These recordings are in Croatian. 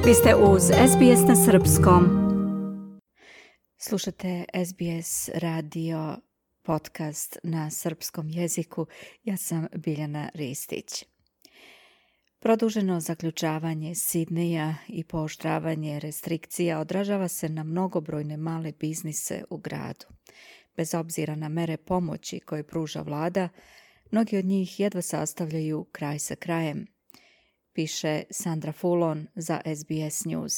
Vi ste uz SBS na srpskom. Slušate SBS radio podcast na srpskom jeziku. Ja sam Biljana Ristić. Produženo zaključavanje Sidneja i pooštravanje restrikcija odražava se na mnogobrojne male biznise u gradu. Bez obzira na mere pomoći koje pruža vlada, mnogi od njih jedva sastavljaju kraj sa krajem, piše Sandra Fulon za SBS News.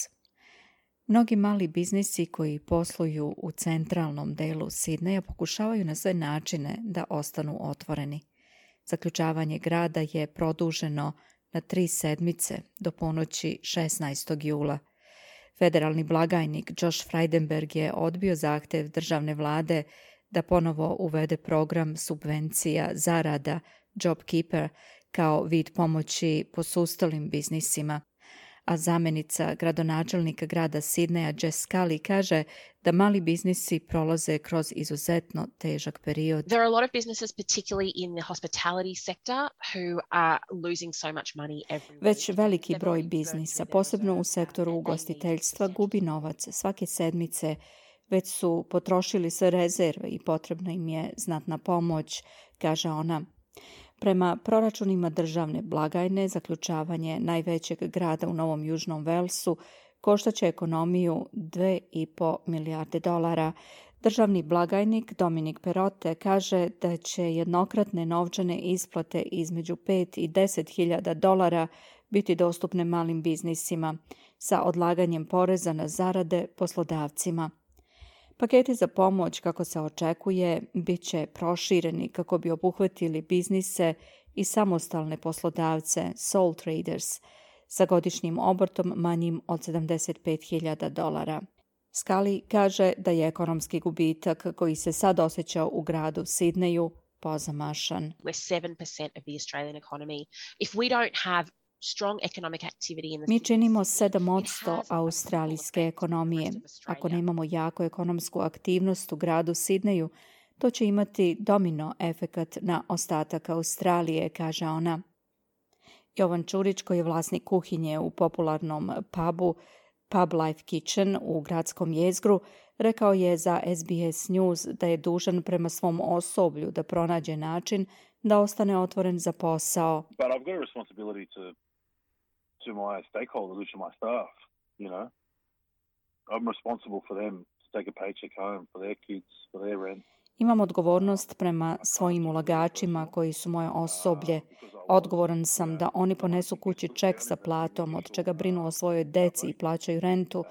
Mnogi mali biznisi koji posluju u centralnom delu Sidneja pokušavaju na sve načine da ostanu otvoreni. Zaključavanje grada je produženo na 3 sedmice do ponoći 16. jula. Federalni blagajnik Josh Frydenberg je odbio zahtev državne vlade da ponovo uvede program subvencija zarada JobKeeper kao vid pomoći posustalim biznisima, a zamjenica gradonačelnika grada Sidneja Jess Scully kaže da mali biznisi prolaze kroz izuzetno težak period. There are a lot of businesses, particularly in the hospitality sector, who are losing so much money every week. Već veliki broj biznisa, posebno u sektoru ugostiteljstva, gubi novac svake sedmice. Već su potrošili sve rezerve i potrebna im je znatna pomoć, kaže ona. Prema proračunima državne blagajne, zaključavanje najvećeg grada u Novom Južnom Velsu koštaće ekonomiju $2,5 milijarde. Državni blagajnik Dominic Perrottet kaže da će jednokratne novčane isplate između $5,000 i $10,000 biti dostupne malim biznisima sa odlaganjem poreza na zarade poslodavcima. Paketi za pomoć, kako se očekuje, bit će prošireni kako bi obuhvatili biznise i samostalne poslodavce, sole traders, sa godišnjim obrtom manjim od $75,000. Scully kaže da je ekonomski gubitak koji se sad osjeća u gradu Sidneju pozamašan. We're 7% of the Australian economy. If we don't have strong economic activity in the Mi činimo 7% australijske ekonomije. Ako nemamo jako ekonomsku aktivnost u gradu Sidneju, to će imati domino efekat na ostatak Australije, kaže ona. Jovan Čurić, koji je vlasnik kuhinje u popularnom pubu Pub Life Kitchen u gradskom jezgru, rekao je za SBS News da je dužan prema svom osoblju da pronađe način da ostane otvoren za posao. But I've got a responsibility to my stakeholders, to my staff, you know. I'm responsible for them to take a paycheck home, for their kids, for their rent. Imam odgovornost prema svojim ulagačima koji su moje osoblje. Odgovoran sam da oni ponesu kući ček sa platom, od čega brinu o svojoj deci i plaćaju rentu.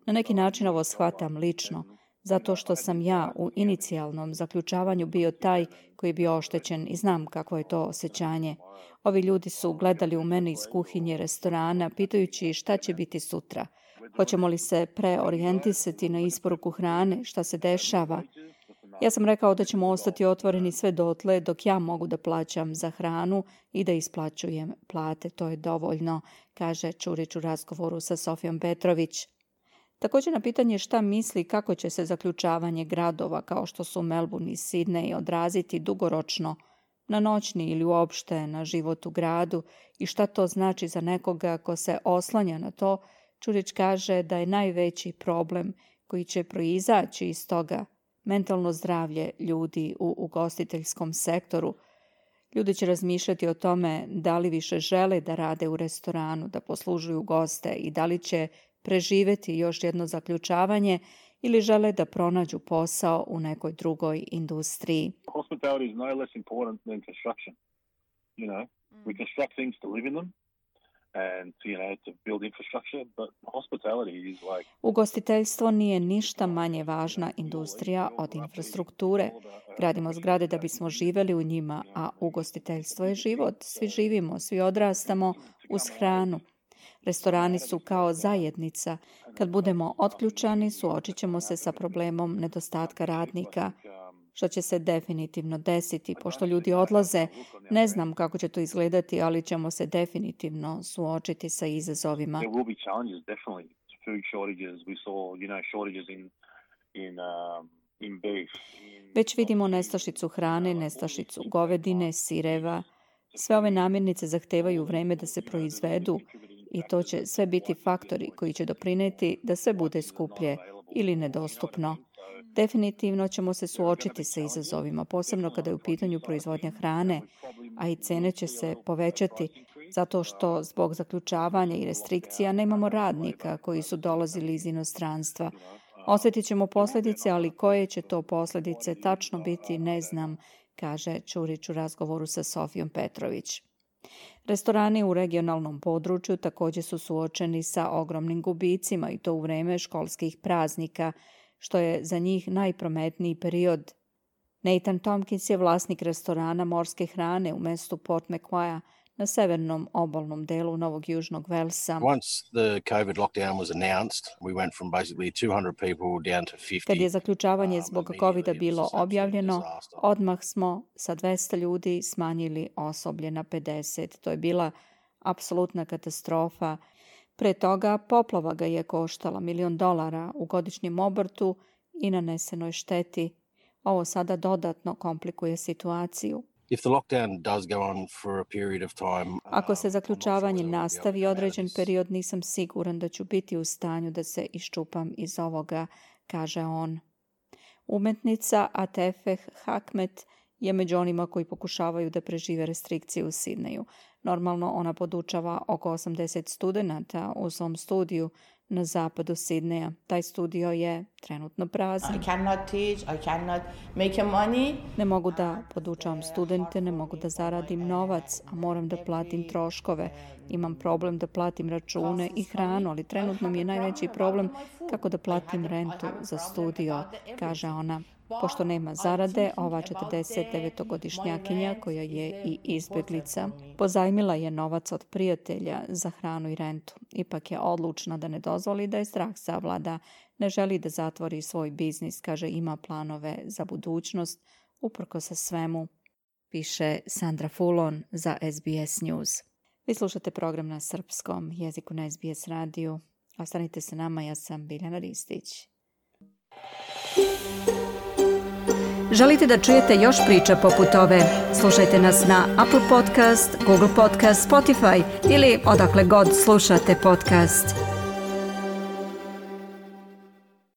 Na neki način ovo shvatam lično, zato što sam ja u inicijalnom zaključavanju bio taj koji je bio oštećen i znam kako je to osjećanje. Ovi ljudi su gledali u mene iz kuhinje restorana, pitajući šta će biti sutra. Hoćemo li se preorijentisati na isporuku hrane, šta se dešava? Ja sam rekao da ćemo ostati otvoreni sve dotle dok ja mogu da plaćam za hranu i da isplaćujem plate. To je dovoljno, kaže Čurić u razgovoru sa Sofijom Petrović. Također na pitanje šta misli kako će se zaključavanje gradova kao što su Melbourne i Sydney odraziti dugoročno na noćni ili uopšte na život u gradu i šta to znači za nekoga ko se oslanja na to, Čurić kaže da je najveći problem koji će proizaći iz toga mentalno zdravlje ljudi u ugostiteljskom sektoru. Ljudi će razmišljati o tome da li više žele da rade u restoranu, da poslužuju goste i da li će preživjeti još jedno zaključavanje ili žele da pronađu posao u nekoj drugoj industriji. Hospitality is no less important than construction. You know, we construct things to live in them and to build infrastructure, but hospitality is like... Ugostiteljstvo nije ništa manje važna industrija od infrastrukture. Gradimo zgrade da bismo živjeli u njima, a ugostiteljstvo je život. Svi živimo, svi odrastamo uz hranu. Restorani su kao zajednica. Kad budemo otključani, suočit ćemo se sa problemom nedostatka radnika, što će se definitivno desiti. Pošto ljudi odlaze, ne znam kako će to izgledati, ali ćemo se definitivno suočiti sa izazovima. Već vidimo nestašicu hrane, nestašicu govedine, sireva. Sve ove namirnice zahtevaju vreme da se proizvedu i to će sve biti faktori koji će doprinijeti da sve bude skuplje ili nedostupno. Definitivno ćemo se suočiti sa izazovima, posebno kada je u pitanju proizvodnja hrane, a i cene će se povećati zato što zbog zaključavanja i restrikcija nemamo radnika koji su dolazili iz inostranstva. Osjetit ćemo posljedice, ali koje će to posljedice tačno biti, ne znam, kaže Ćurić u razgovoru sa Sofijom Petrović. Restorani u regionalnom području također su suočeni sa ogromnim gubicima i to u vrijeme školskih praznika, što je za njih najprometniji period. Nathan Tompkins je vlasnik restorana morske hrane u mjestu Port Macquarie na severnom obalnom delu Novog Južnog Velsa. Kad je zaključavanje zbog COVID-a bilo objavljeno, odmah smo sa 200 ljudi smanjili osoblje na 50. To je bila apsolutna katastrofa. Pre toga poplava ga je koštala $1 milion u godišnjem obrtu i nanesenoj šteti. Ovo sada dodatno komplikuje situaciju. Ako se zaključavanje nastavi određen period, nisam siguran da ću biti u stanju da se iščupam iz ovoga, kaže on. Umetnica Atefeh Hakmet je među onima koji pokušavaju da prežive restrikcije u Sidneju. Normalno ona podučava oko 80 studenata u svom studiju na zapadu Sidneja. Taj studio je trenutno prazan. Ne mogu da podučavam studente, ne mogu da zaradim novac, a moram da platim troškove. Imam problem da platim račune i hranu, ali trenutno mi je najveći problem kako da platim rentu za studio, kaže ona. Pošto nema zarade, ova 49-godišnjakinja, koja je i izbjeglica, pozajmila je novac od prijatelja za hranu i rentu. Ipak je odlučna da ne dozvoli da je strah savlada. Ne želi da zatvori svoj biznis, kaže ima planove za budućnost, uprkos sa svemu, piše Sandra Fulon za SBS News. Vi slušate program na srpskom jeziku na SBS radiju. Ostanite sa nama, ja sam Biljana Ristić. Želite da čujete još priča poput ove? Slušajte nas na Apple Podcast, Google Podcast, Spotify ili odakle god slušate podcast.